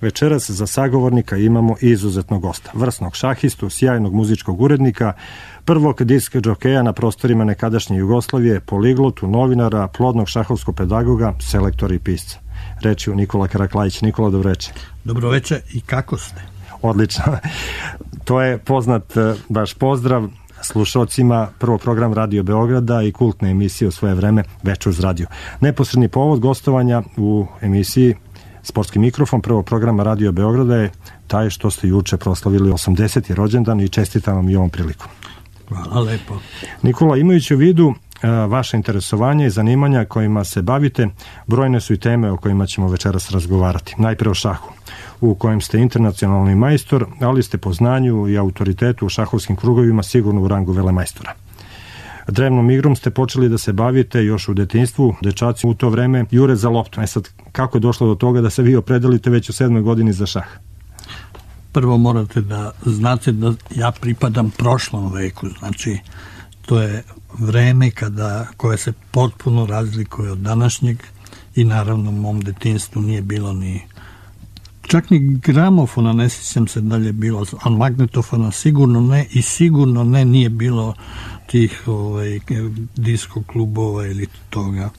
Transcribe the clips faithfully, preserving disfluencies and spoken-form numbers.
Večeras za sagovornika imamo izuzetnog gosta, vrsnog šahistu, sjajnog muzičkog urednika, prvog disk džokeja na prostorima nekadašnje Jugoslavije, poliglotu, novinara, plodnog šahovskog pedagoga, selektora i pisca. Reč je Nikola Karaklajić. Nikola, dobroveče. Dobroveče, i kako ste? Odlično. To je poznat baš pozdrav slušalcima prvog program Radio Beograda i kultne emisije u svoje vreme Večer uz radio. Neposredni povod gostovanja u emisiji Sportski mikrofon prvog programa Radio Beograda je taj što ste juče proslavili osamdeseti rođendan i čestitam vam i ovom prilikom. Hvala lepo. Nikola, imajući u vidu vaše interesovanje i zanimanja kojima se bavite, brojne su i teme o kojima ćemo večeras razgovarati. Najpre o šahu, u kojem ste internacionalni majstor, ali ste po znanju i autoritetu u šahovskim krugovima sigurno u rangu velemajstora. Drevnom igrom ste počeli da se bavite još u detinjstvu, dečaci u to vreme jure za loptu. E sad, kako je došlo do toga da se vi opredelite već u sedmoj godini za šah? Prvo morate da znate da ja pripadam prošlom veku, znači to je vreme kada, koje se potpuno razlikuje od današnjeg i naravno u mom detinjstvu nije bilo ni čak ni gramofona, ne sjećam se da li je bilo, ali magnetofona sigurno ne i sigurno ne nije bilo tih ovaj, disko klubova ili toga.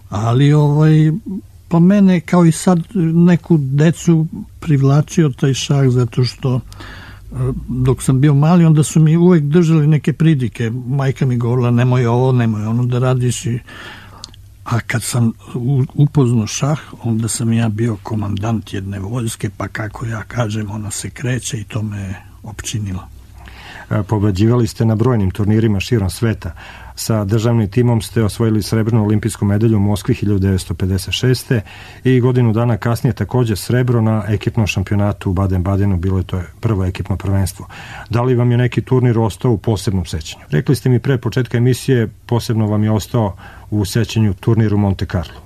Ali ovaj, pa mene kao i sad neku decu privlačio taj šah zato što dok sam bio mali onda su mi uvek držali neke pridike. Majka mi govorila nemoj ovo, nemoj ono da radiš i a kad sam upoznao šah, onda sam ja bio komandant jedne vojske, pa kako ja kažem, ona se kreće i to me opčinilo. Pobeđivali ste na brojnim turnirima širom sveta. Sa državnim timom ste osvojili srebrnu olimpijsku medalju u Moskvi hiljadu devetsto pedeset šeste. i godinu dana kasnije također srebro na ekipnom šampionatu u Baden-Badenu, bilo je to prvo ekipno prvenstvo. Da li vam je neki turnir ostao u posebnom sećanju? Rekli ste mi pre početka emisije, posebno vam je ostao u sećanju turnir u Monte Carlo.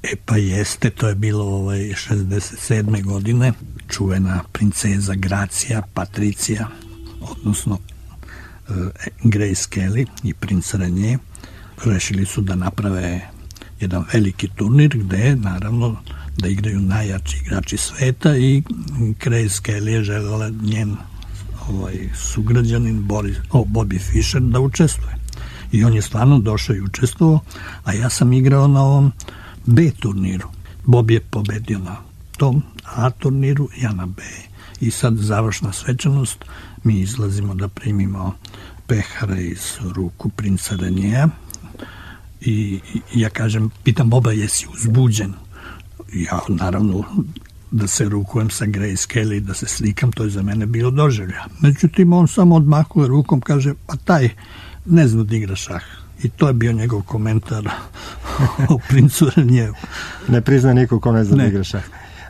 E pa jeste, to je bilo ovaj šezdeset sedme godine, čuvena princeza Gracija, Patricija, odnosno Grace Kelly i princ Renier rešili su da naprave jedan veliki turnir gde naravno da igraju najjači igrači sveta i Grace Kelly je želela njen ovaj, sugrađanin Boris, oh, Bobby Fischer da učestvuje i on je stvarno došao i učestvovao, a ja sam igrao na ovom B turniru. Bobby je pobedio na tom A turniru, ja na B i sad završna svečanost, mi izlazimo da primimo pehara iz ruku princa Reniera i, i ja kažem, pitam Boba, jesi uzbuđen? Ja naravno da se rukujem sa Grace Kelly, da se slikam, to je za mene bilo doživlja. Međutim, on samo odmahuje rukom, kaže, pa taj ne zna da igra šah. I to je bio njegov komentar o princu Renieru. Ne prizna niko ko ne zna da igra šah.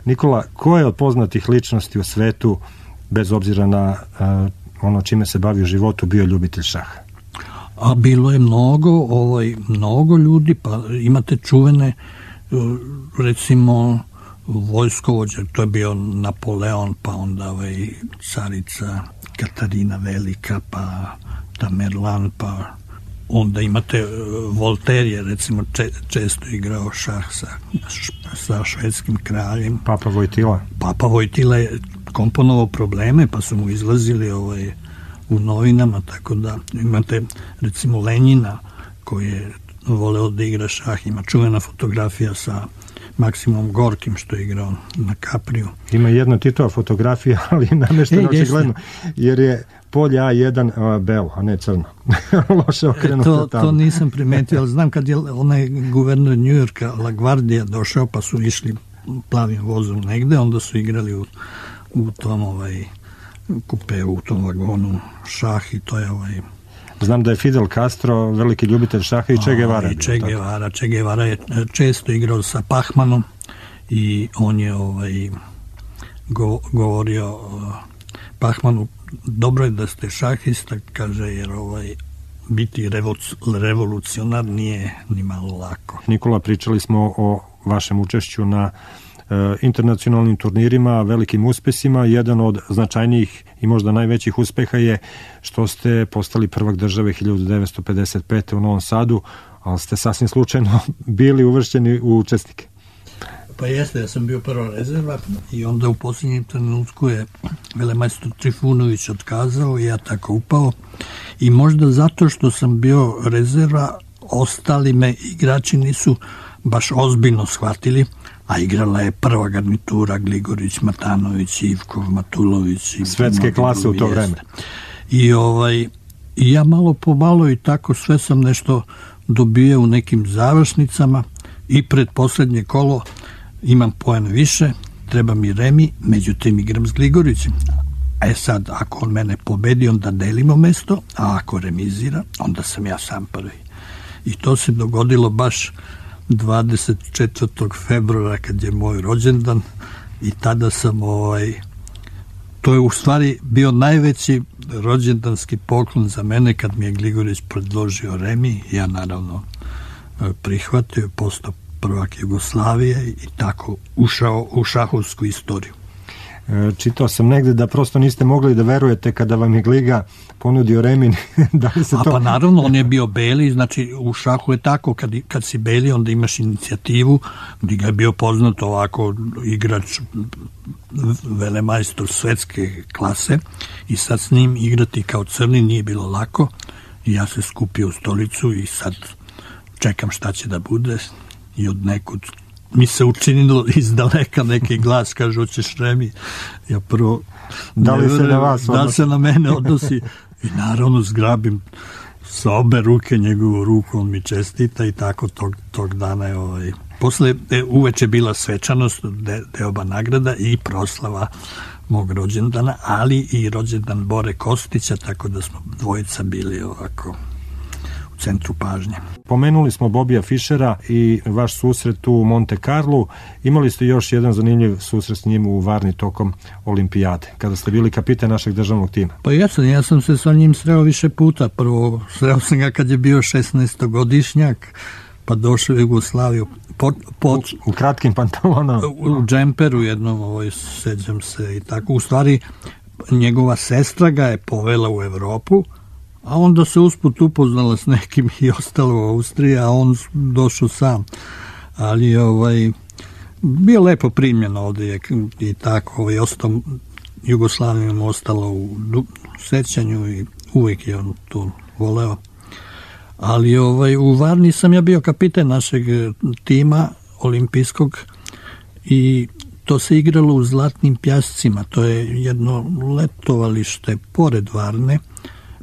Nikola, ko je od poznatih ličnosti u svetu, bez obzira na uh, ono čime se bavi u životu, bio ljubitelj šaha? A bilo je mnogo, ovaj, mnogo ljudi, pa imate čuvene, recimo, vojskovođe, to je bio Napoleon, pa onda ovaj, carica Katarina Velika, pa Tamerlan, pa onda imate Voltaire je recimo če, često igrao šah sa, sa švedskim kraljem. Papa Vojtila. Papa Vojtila je komponovao probleme, pa su mu izlazili ovaj, u novinama, tako da imate recimo Lenjina koji je voleo da igra šah, ima čuvena fotografija sa Maksimom Gorkim što je igrao na Kapriju. Ima jedna Titova fotografija, ali nameštena e, očigledno, jer je polje A jedan a, belo, a ne crno. Loše okrenuto to, tamo. To nisam primetio, ali znam kad je onaj guverner Njujorka LaGuardia došao, pa su išli plavim vozom negde, onda su igrali u, u tom ovaj, kupeu, u tom vagonu šah i to je ovaj... Znam da je Fidel Castro veliki ljubitelj šaha i Che Guevara. I Che Guevara, Che Guevara je često igrao sa Pachmanom i on je ovaj, go, govorio uh, Pachmanu, dobro je da ste šahista, kaže, jer ovaj, biti revolucionar nije ni malo lako. Nikola, pričali smo o vašem učešću na internacionalnim turnirima, velikim uspesima. Jedan od značajnijih i možda najvećih uspeha je što ste postali prvak države hiljadu devetsto pedeset pete. u Novom Sadu, ali ste sasvim slučajno bili uvršćeni u učesnike. Pa jeste, ja sam bio prva rezerva i onda u posljednjem trenutku je velemajstor Trifunović otkazao i ja tako upao. I možda zato što sam bio rezerva, ostali me igrači nisu baš ozbiljno shvatili, a igrala je prva garnitura Gligorić, Matanović, Ivkov, Matulović. I svetske klase u to jeste. vreme. I, ovaj, I ja malo po malo i tako sve sam nešto dobio u nekim završnicama i pred posljednje kolo imam poen više, treba mi remi, međutim igram s Gligorićem. E sad, ako on mene pobedi, onda delimo mesto, a ako remizira, onda sam ja sam prvi. I to se dogodilo baš dvadeset četvrtog februara kad je moj rođendan i tada sam ovaj, to je u stvari bio najveći rođendanski poklon za mene kad mi je Gligorić predložio remi, ja naravno prihvatio, postao prvak Jugoslavije i tako ušao u šahovsku istoriju. Čitao sam negde da prosto niste mogli da verujete kada vam je Gliga ponudio remi. Da li se A to... pa naravno, on je bio beli, znači u šahu je tako, kad, kad si beli onda imaš inicijativu, Gliga je bio poznat ovako igrač velemajstor svetske klase i sad s njim igrati kao crni nije bilo lako i ja se skupio u stolicu i sad čekam šta će da bude i od nekud mi se učinilo iz daleka neki glas, kaže, hoćeš remi? Ja prvo da li se na vas da se na mene odnosi i naravno zgrabim sa obe ruke njegovu ruku, on mi čestita i tako tog, tog dana je ovaj... Posle e, uveče bila svečanost, de, deoba nagrada i proslava mog rođendana, ali i rođendan Bore Kostića, tako da smo dvojica bili ovako u centru pažnje. Pomenuli smo Bobija Fišera i vaš susret u Monte Carlo. Imali ste još jedan zanimljiv susret s njim u Varni tokom olimpijade, kada ste bili kapiten našeg državnog tima. Pa ja sam, ja sam se sa njim sreo više puta. Prvo sreo sam ga kad je bio šesnaestogodišnjak, pa došao u Jugoslaviju. Pod, pod, u, u kratkim pantalonama. U, u džemperu jednom, ovaj, sećam se i tako. U stvari, njegova sestra ga je povela u Evropu, a onda se usput upoznala s nekim i ostalo u Austriji, a on došao sam. Ali ovaj, bio lepo primljen ovdje i tako, ovaj, ostao, Jugoslavija mu ostalo u sećanju i uvijek je on to voleo. Ali ovaj, u Varni sam ja bio kapiten našeg tima olimpijskog i to se igralo u Zlatnim Pjascima, to je jedno letovalište pored Varne.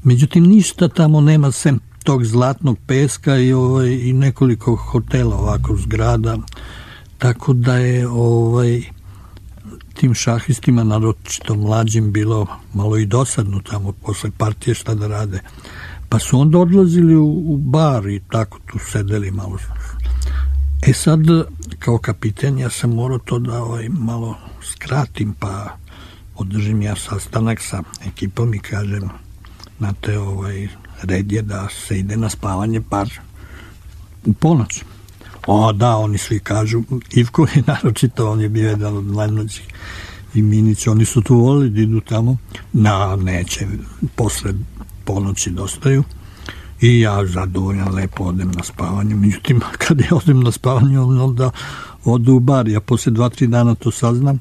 Međutim, ništa tamo nema sem tog zlatnog peska i, ovaj, i nekoliko hotela ovako zgrada, tako da je ovaj, tim šahistima, naročito mlađim, bilo malo i dosadno tamo posle partije šta da rade. Pa su onda odlazili u, u bar i tako tu sedeli malo. E sad, kao kapiten, ja sam morao to da ovaj, malo skratim, pa održim ja sastanak sa ekipom i kažem, znate, ovaj, red je da se ide na spavanje bar u ponoć. O, da, oni svi kažu, Ivko je naročito, on je bio jedan od mlađih i Minić, oni su tu volili da idu tamo, na, neće, posle ponoći dostaju i ja zadovoljan lepo odem na spavanje, međutim, kad ja odem na spavanje, onda odu u bar, ja posle dva, tri dana to saznam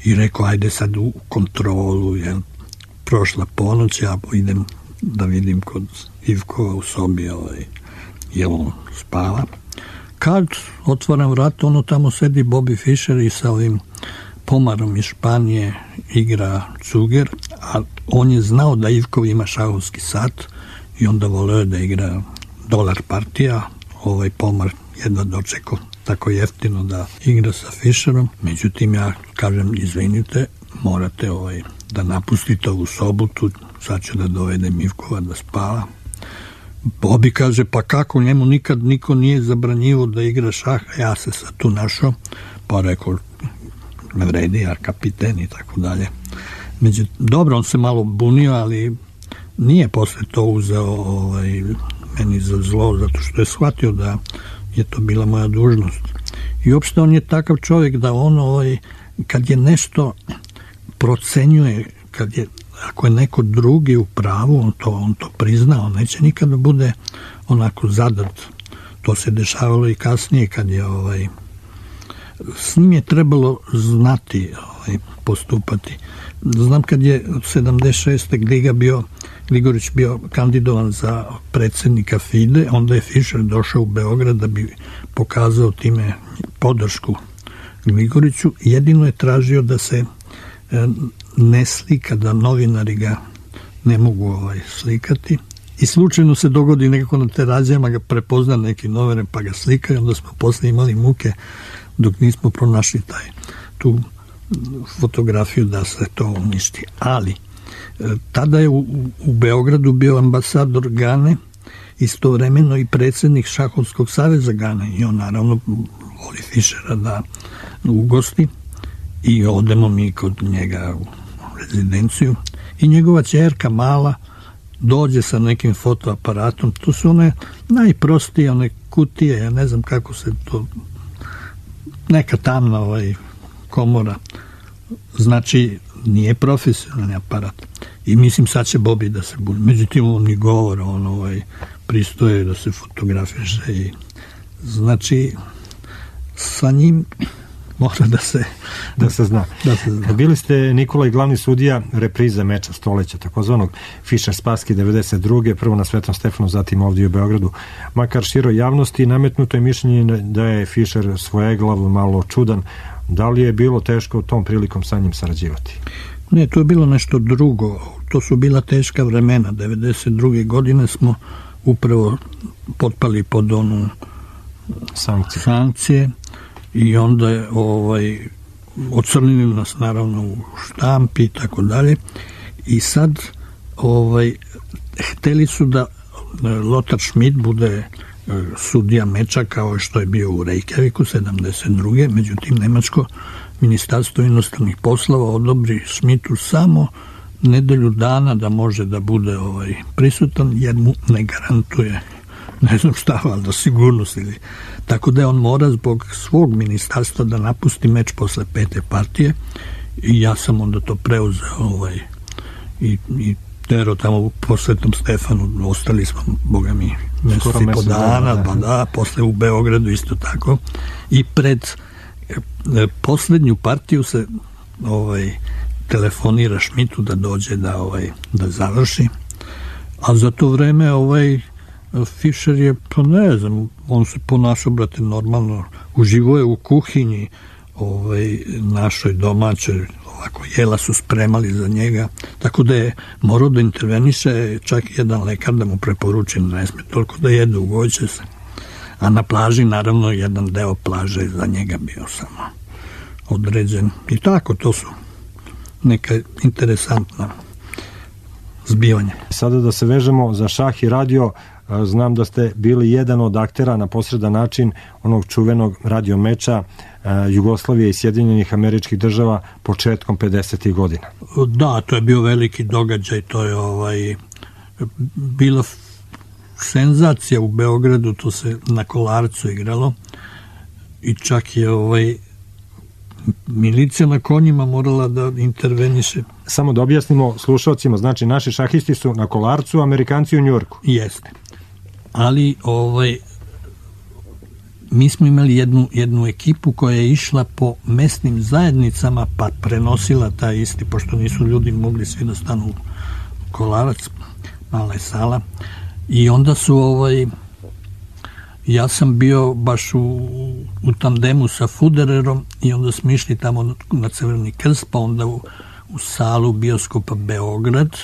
i rekao, ajde sad u kontrolu, jel, prošla ponoć, ja idem da vidim kod Ivkova u sobi, ovaj, jel on spava. Kad otvaram vrat, ono tamo sedi Bobby Fischer i sa ovim Pomarom iz Španije igra cuger, a on je znao da Ivkov ima šahovski sat i onda voleo da igra dolar partija, ovaj Pomar jedva dočekao tako jeftino da igra sa Fischerom. Međutim, ja kažem, izvinite, morate ovaj da napustite ovu sobu, tu sad ću da dovedem Ivkova da spava. Bobby kaže, pa kako, njemu nikad niko nije zabranjivo da igra šah, ja se sad tu našao, pa rekao, ne vredi, ja kapiten i tako dalje. Međutim, dobro, on se malo bunio, ali nije posle to uzeo ovaj, meni za zlo, zato što je shvatio da je to bila moja dužnost. I uopšte on je takav čovjek da on, ovaj, kad je nešto procenjuje, kad je, ako je neko drugi u pravu, on to, on to prizna, on neće nikada bude onako zadat. To se dešavalo i kasnije kad je ovaj, s njim je trebalo znati ovaj, postupati. Znam kad je sedamdeset šeste. Gliga bio, Gligorić bio kandidovan za predsjednika FIDE, onda je Fischer došao u Beograd da bi pokazao time podršku Gligoriću. Jedino je tražio da se ne slika, da novinari ga ne mogu ovaj, slikati. I slučajno se dogodi nekako na terazijama, ga prepozna neki novinar pa ga slika i onda smo posle imali muke dok nismo pronašli taj, tu fotografiju da se to uništi. Ali tada je u, u Beogradu bio ambasador Gane, istovremeno i predsjednik Šahovskog saveza Gane i on naravno voli Fischera da ugosti i odemo mi kod njega u rezidenciju i njegova ćerka mala dođe sa nekim fotoaparatom. To su one najprostije one kutije, ja ne znam kako se to, neka tamna ovaj komora, znači nije profesionalni aparat i mislim sad će Bobi da se budi, međutim on ni govora, on ovaj pristoje da se fotografiše i znači sa njim mora da se da se zna. Da se zna. Bili ste, Nikola, i glavni sudija reprize meča stoleća, takozvanog Fischer Spassky devedeset druge. prvo na Svetom Stefanu, zatim ovdje u Beogradu. Makar široj javnosti nametnuto je mišljenje da je Fischer svojeglav, malo čudan. Da li je bilo teško tom prilikom sa njim sarađivati? Ne, to je bilo nešto drugo. To su bila teška vremena. devedeset druge godine smo upravo potpali pod onu sankcije. sankcije i onda je ovaj, ocrnili nas naravno u štampi i tako dalje. I sad ovaj, hteli su da Lothar Schmidt bude sudija meča kao što je bio u Reykjaviku sedamdeset druge. Međutim, nemačko ministarstvo inostranih poslova odobri Schmidtu samo nedelju dana da može da bude ovaj prisutan, jer mu ne garantuje ne znam šta, ali da sigurnost ili tako da je on mora zbog svog ministarstva da napusti meč posle pete partije i ja sam onda to preuzeo ovaj, i, i tero tamo po Svetom Stefanu, ostali smo, boga mi, mesec i po dana, pa da, posle u Beogradu isto tako i pred e, poslednju partiju se ovaj telefonira Schmidtu da dođe da ovaj da završi, a za to vreme ovaj Fischer je, pa ne znam, on se ponašao, brate, normalno, uživo je u kuhinji ovaj, našoj domaćoj, ovako, jela su spremali za njega, tako da je morao da interveniše čak jedan lekar da mu preporuči da ne sme toliko da jede, ugoće se. A na plaži, naravno, jedan deo plaže za njega bio samo određen. I tako, to su neka interesantna zbivanja. Sada da se vežemo za šah i radio, znam da ste bili jedan od aktera na posredan način onog čuvenog radio meča Jugoslavije i Sjedinjenih Američkih Država početkom pedesetih godina. Da, to je bio veliki događaj, to je ovaj bila senzacija u Beogradu, to se na Kolarcu igralo i čak je ovaj milicija na konjima morala da interveniše. Samo da objasnimo slušalcima, znači naši šahisti su na Kolarcu, Amerikanci u Njujorku. Jeste. Ali ovaj mi smo imali jednu, jednu ekipu koja je išla po mesnim zajednicama pa prenosila taj isti, pošto nisu ljudi mogli svi da stanu u Kolarac, mala je sala, i onda su ovaj ja sam bio baš u, u tandemu sa Fudererom i onda smo išli tamo na Crveni krst, pa onda u, u salu bioskopa Beograd,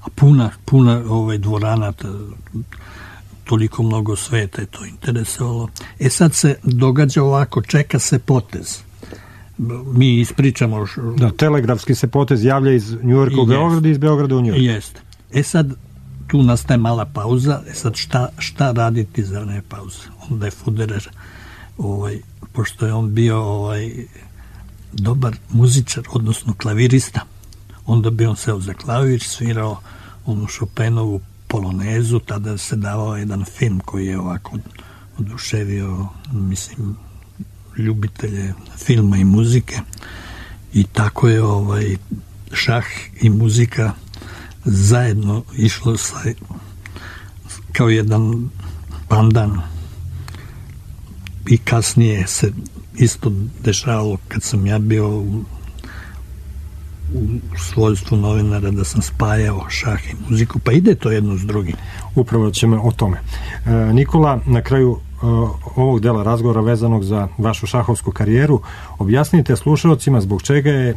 a puna, puna ovaj dvorana, toliko mnogo sveta je to interesovalo. E sad se događa ovako, čeka se potez. Mi ispričamo... Da, telegrafski se potez javlja iz Njujorka u Beogradu i iz Beograda u Njujork. Jeste. E sad, tu nastaje mala pauza, e sad šta, šta raditi za vreme pauze? Onda je Fuderer, ovaj, pošto je on bio ovaj, dobar muzičar, odnosno klavirista, onda bi on seo za klavir, svirao onu Chopinovu polonezu, tada se davao jedan film koji je ovako oduševio, mislim, ljubitelje filma i muzike i tako je ovaj šah i muzika zajedno išlo sa, kao jedan pandan i kasnije se isto dešavalo kad sam ja bio u, u svojstvu novinara, da sam spajao šah i muziku, pa ide to jedno s drugim. Upravo ćemo o tome. E, Nikola, na kraju e, ovog dela razgovora vezanog za vašu šahovsku karijeru, objasnite slušalcima zbog čega je e,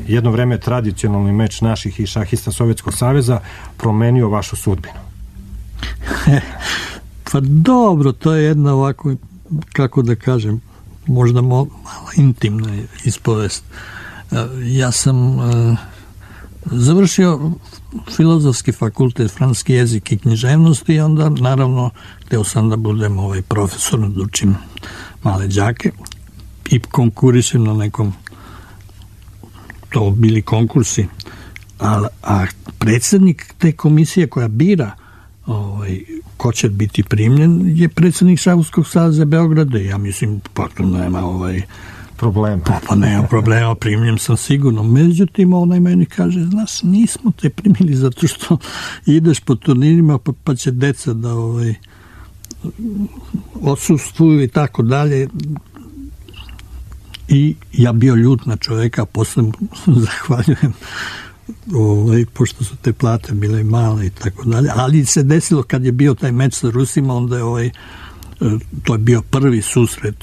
jedno vreme tradicionalni meč naših i šahista Sovjetskog saveza promenio vašu sudbinu. Pa dobro, to je jedna ovako, kako da kažem, možda malo intimna ispovest. Ja sam uh, završio filozofski fakultet, francuski jezik i književnost i onda naravno hteo sam da budem ovaj profesor, da učim male đake i konkurišem na nekom, to bili konkursi, a, a predsjednik te komisije koja bira ovaj, ko će biti primljen je predsjednik Šahovskog saveza Beograda. Ja mislim, pa tu nema ovaj problema. Pa, pa nema problema, primljen sam sigurno. Međutim, onaj meni kaže, znaš, nismo te primili zato što ideš po turnirima pa, pa će deca da ovaj, odsustvuju i tako dalje. I ja bio ljut na čoveka, posle zahvaljujem, ovaj, pošto su te plate bile male i tako dalje. Ali se desilo kad je bio taj meč sa Rusima, onda je ovaj, to je bio prvi susret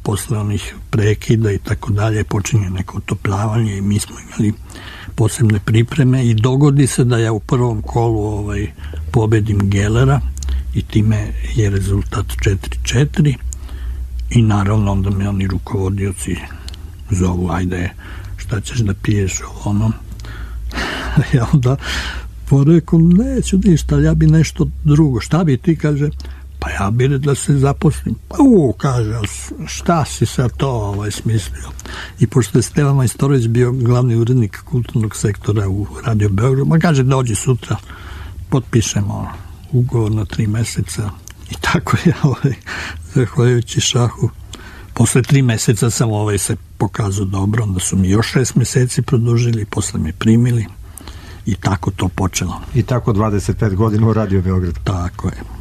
posle onih prekida i tako dalje, počinje neko otopljavanje i mi smo imali posebne pripreme i dogodi se da ja u prvom kolu ovaj, pobedim Gelera i time je rezultat četiri četiri i naravno onda me oni rukovodioci zovu, ajde, šta ćeš da piješ ono. Ja onda porekom, neću ništa, ja bi nešto drugo. Šta bi ti, kaže, pa ja bi da se zaposlim. Pa u, kaže, šta si sad to ovaj, smislio? I pošto je Stevan Majstorović bio glavni urednik kulturnog sektora u Radio Beogradu, ma kaže, dođi sutra, potpišemo ugovor na tri meseca. I tako ja, ovaj, zahvaljujući šahu, posle tri meseca sam ovaj se pokazao dobro, onda su mi još šest meseci produžili, posle me primili i tako to počelo. I tako dvadeset pet godina u Radio Beogradu. Tako je.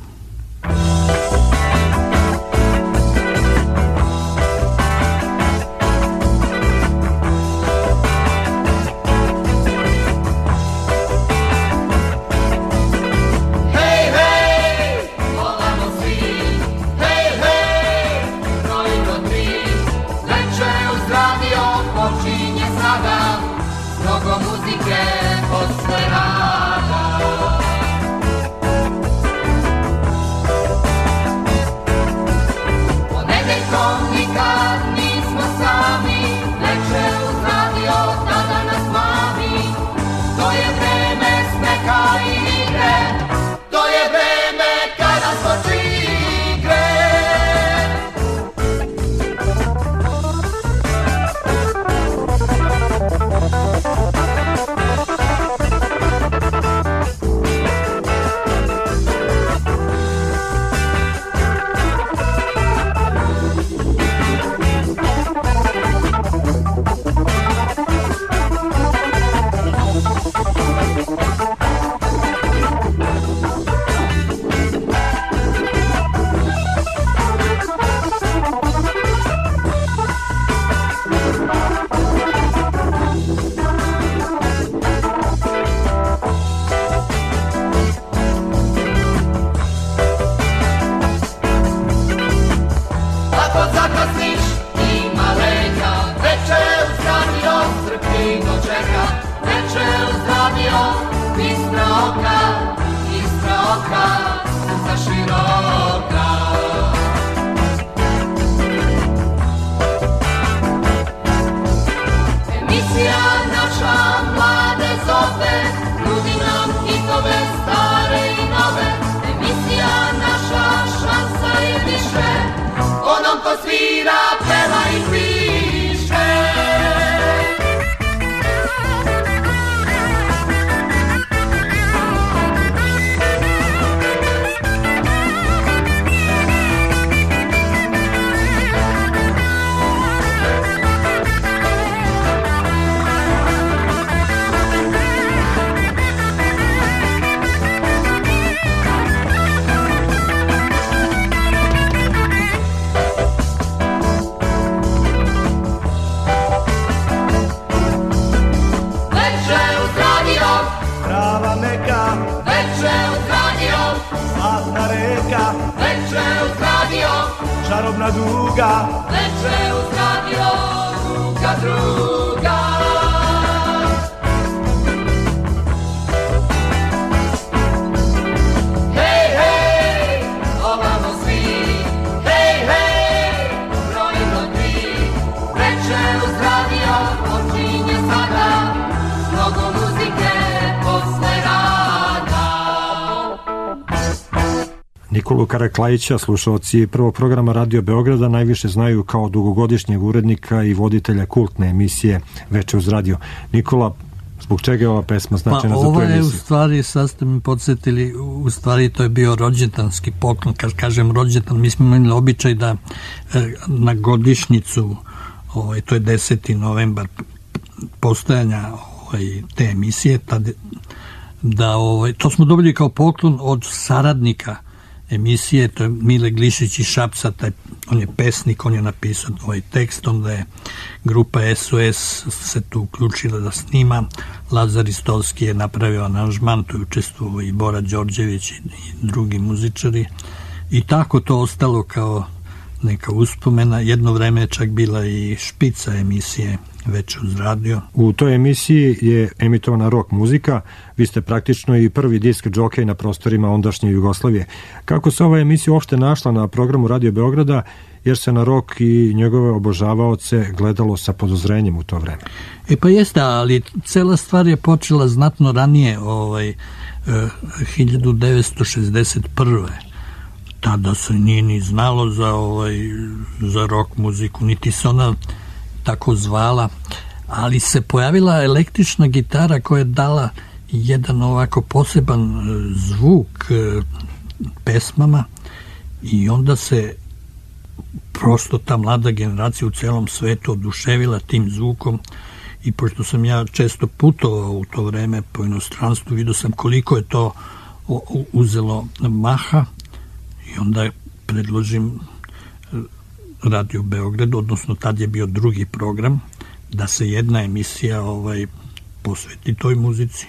Večeru s radijom, Trava meka, večeru s radijom, zlatna reka, večeru s radijom, čarobna duga, večeru s radijom, druga druga. Hej, hej, ovamo svi, hej, hej, brojimo tri, večeru s radijom počinje sada, mnogo muzike posle rada. Nikolu Karaklajića slušalci prvog programa Radio Beograda najviše znaju kao dugogodišnjeg urednika i voditelja kultne emisije Veče uz radio. Nikola, zbog čega je ova pesma značajna pa, za tu emisiju? Pa ovo je u stvari, sad ste mi podsjetili, u stvari to je bio rođendanski poklon. Kad kažem rođendan, mi smo imali običaj da e, na godišnjicu, ovaj, to je deseti novembar postojanja ovaj, te emisije, tad, da, ovaj, to smo dobili kao poklon od saradnika emisije, to je Mile Glišić iz Šapca, taj, on je pesnik, on je napisao ovaj tekst, onda je grupa S O S se tu uključila da snima, Lazar Istolski je napravio aranžman, tu je učestvovao i Bora Đorđević i, i drugi muzičari i tako to ostalo kao neka uspomena. Jedno vreme je čak bila i špica emisije Veče uz radio. U toj emisiji je emitovana rock muzika, vi ste praktično i prvi disk džokej na prostorima ondašnje Jugoslavije. Kako se ova emisija uopšte našla na programu Radio Beograda, jer se na rock i njegove obožavaoce gledalo sa podozrenjem u to vreme? E pa jeste, ali cela stvar je počela znatno ranije, ovaj, hiljadu devetsto šezdeset prve. Tada se nije ni znalo za, ovaj, za rock muziku, niti se ona tako zvala, ali se pojavila električna gitara koja je dala jedan ovako poseban zvuk pesmama i onda se prosto ta mlada generacija u celom svetu oduševila tim zvukom i pošto sam ja često putovao u to vreme po inostranstvu, vidio sam koliko je to uzelo maha i onda predložim Radio Beograd, odnosno tad je bio drugi program, da se jedna emisija ovaj, posveti toj muzici.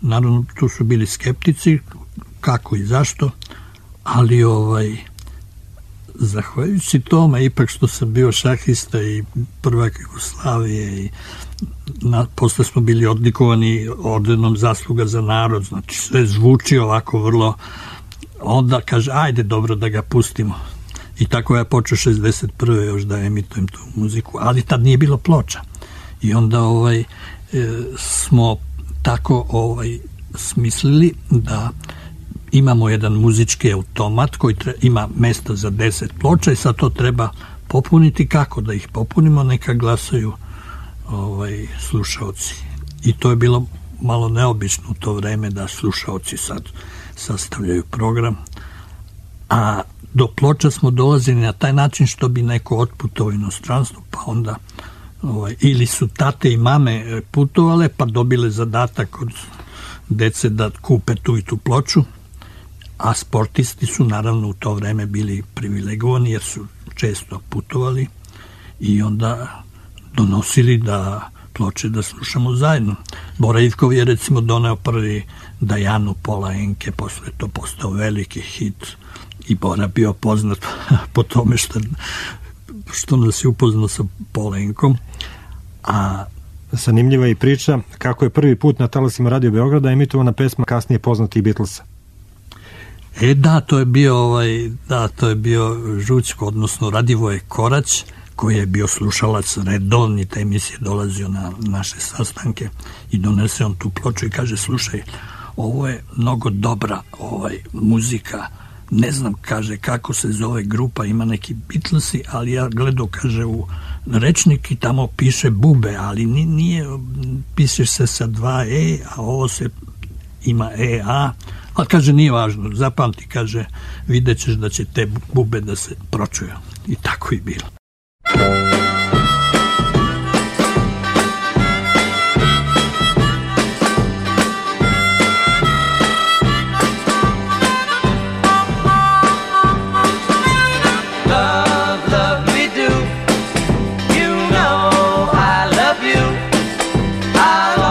Naravno, tu su bili skeptici, kako i zašto, ali ovaj, zahvaljujući tome, ipak što sam bio šahista i prvak Jugoslavije i na, posle smo bili odlikovani ordenom zasluga za narod, znači sve zvuči ovako vrlo, onda kaže, ajde dobro da ga pustimo. I tako ja počeo šezdeset prve još da emitujem tu muziku, ali tad nije bilo ploča. I onda ovaj, e, smo tako ovaj, smislili da imamo jedan muzički automat koji tre, ima mesta za deset ploča i sad to treba popuniti. Kako da ih popunimo? Neka glasaju ovaj, slušaoci. I to je bilo malo neobično u to vreme da slušaoci sad sastavljaju program. A do ploča smo dolazili na taj način što bi neko otputovao u inostranstvo, pa onda ovaj, ili su tate i mame putovale pa dobile zadatak od dece da kupe tu i tu ploču, a sportisti su naravno u to vreme bili privilegovani jer su često putovali i onda donosili da ploče da slušamo zajedno. Bora Ivkov je recimo doneo prvi Dajanu Pola Enke, posle to postao veliki hit i Bora bio poznat po tome što, što nas je upoznao sa Polenkom. A zanimljiva je priča kako je prvi put na talasima Radio Beograda emitovana pesma kasnije poznatih Beatlesa. E da, to je bio ovaj, da, to je bio Žućko, odnosno Radivoje Korać, koji je bio slušalac redovni te emisije, dolazio na naše sastanke i donese on tu ploču i kaže, slušaj, ovo je mnogo dobra ovaj, muzika, ne znam, kaže, kako se zove grupa, ima neki Beatlesi, ali ja gledao, kaže, u rečnik i tamo piše Bube, ali nije, piše se sa dva E, a ovo se ima E, A, ali kaže, nije važno, zapamti, kaže, vidjet ćeš da će te Bube da se pročuju. I tako i bilo. Love, love me do, you know I love you. I'll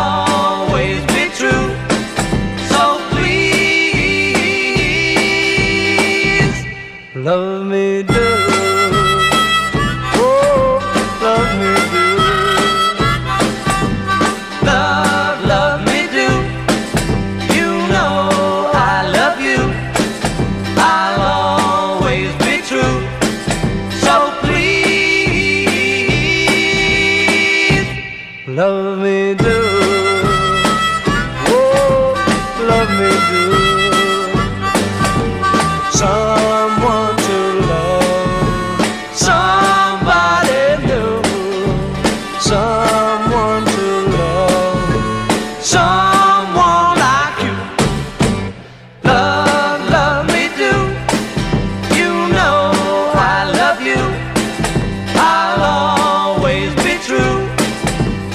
me do. Oh, love me do. Someone to love, somebody new. Someone to love, someone like you. Love, love me do. You know I love you. I'll always be true.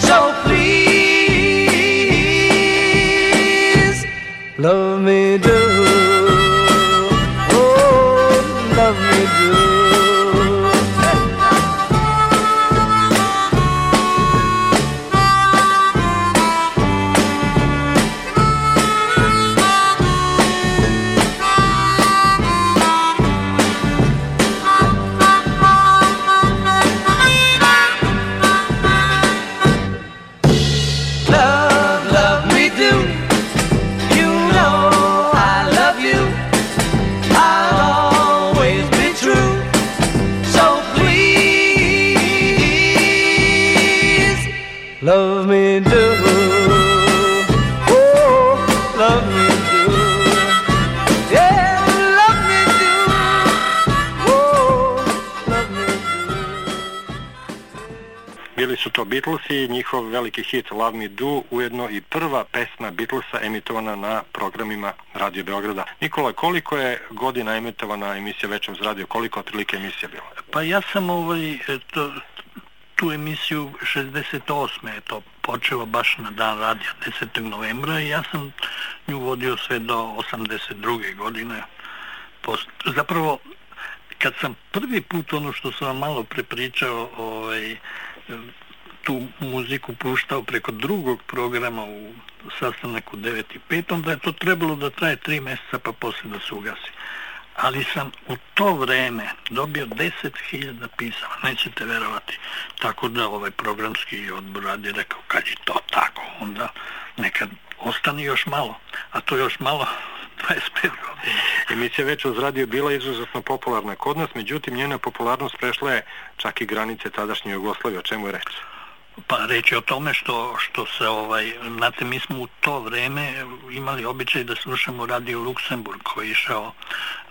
So please, love me do. Oh, love me do. Love, love me do. You know I love you. I'll always be true. So please, love me do. Oh, love me do. Yeah, love me do. Oh, love me do. Bili su to Beatlesi i njihov veliki hit Love Me Do, ujedno i prva pesma Beatlesa emitovana na programima Radio Beograda. Nikola, koliko je godina emitovana emisija Večer uz radio, koliko otprilike emisija bila? Pa ja sam ovaj, to, tu emisiju šezdeset osme je to počelo baš na dan radija desetog novembra i ja sam nju vodio sve do osamdeset druge godine. Post, zapravo, kad sam prvi put ono što sam vam malo prepričao, ovaj, tu muziku puštao preko drugog programa u sastanak u devet i pet, onda je to trebalo da traje tri mjeseca pa poslije da se ugasi. Ali sam u to vreme dobio deset hiljada pisama, nećete verovati. Tako da ovaj programski odbor radi rekao, kad je to tako, onda nekad ostane još malo, a to još malo dvadeset pet godina. Emisija Večer uz radio bila izuzetno popularna kod nas, međutim njena popularnost prešla je čak i granice tadašnje Jugoslavije. O čemu je reč? Pa reći o tome što, što se, ovaj, znate, mi smo u to vreme imali običaj da slušamo Radio Luksemburg koji je išao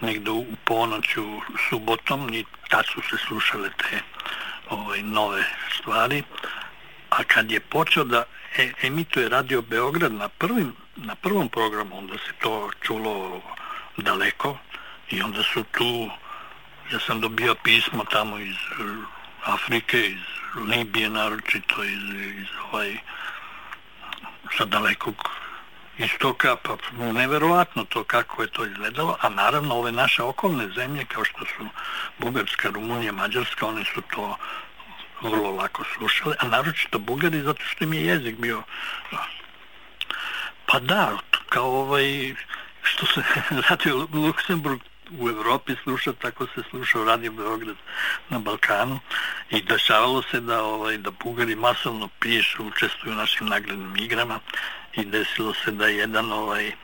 negdje u ponoću subotom i tad su se slušale te ovaj, nove stvari. A kad je počeo da e, emituje Radio Beograd na, prvim, na prvom programu, onda se to čulo daleko i onda su tu, ja sam dobio pismo tamo iz Afrike, iz Libije naročito, iz, iz ovaj, sa dalekog istoka, pa neverovatno to kako je to izgledalo, a naravno ove naše okolne zemlje kao što su Bugarska, Rumunija, Mađarska, one su to vrlo lako slušale, a naročito Bugari zato što im je jezik bio, pa da, kao ovaj, što se Radio Luksemburg u Evropi sluša, tako se slušao Radio Beograd na Balkanu i dešavalo se da, ovaj, da Bugari masovno pišu, učestvuju u našim nagradnim igrama i desilo se da jedan ovaj, e,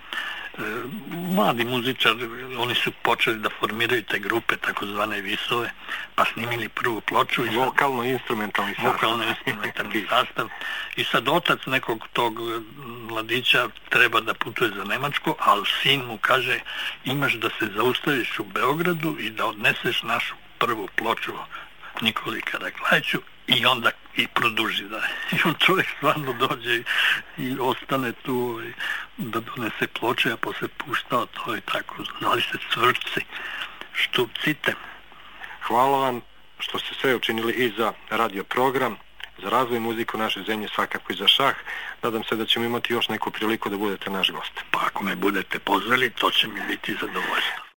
mladi muzičar, oni su počeli da formiraju te grupe, takozvane Visove, pa snimili prvu ploču. Vokalno-instrumentalni sastav. Vokalno-instrumentalni sastav. I sad otac nekog tog mladića treba da putuje za Nemačku, ali sin mu kaže, imaš da se zaustaviš u Beogradu i da odneseš našu prvu ploču Nikoli Karaklajiću i onda i produži da. I on čovjek stvarno dođe i, i ostane tu i da donese ploče, a posle puštao to i tako. Zvali se Cvrčci, Štupcite. Hvala vam što ste sve učinili i za radio program, za razvoj muziku naše zemlje, svakako i za šah. Nadam se da ćemo imati još neku priliku da budete naš gost. Pa ako me budete pozvali, to će mi biti zadovoljstvo.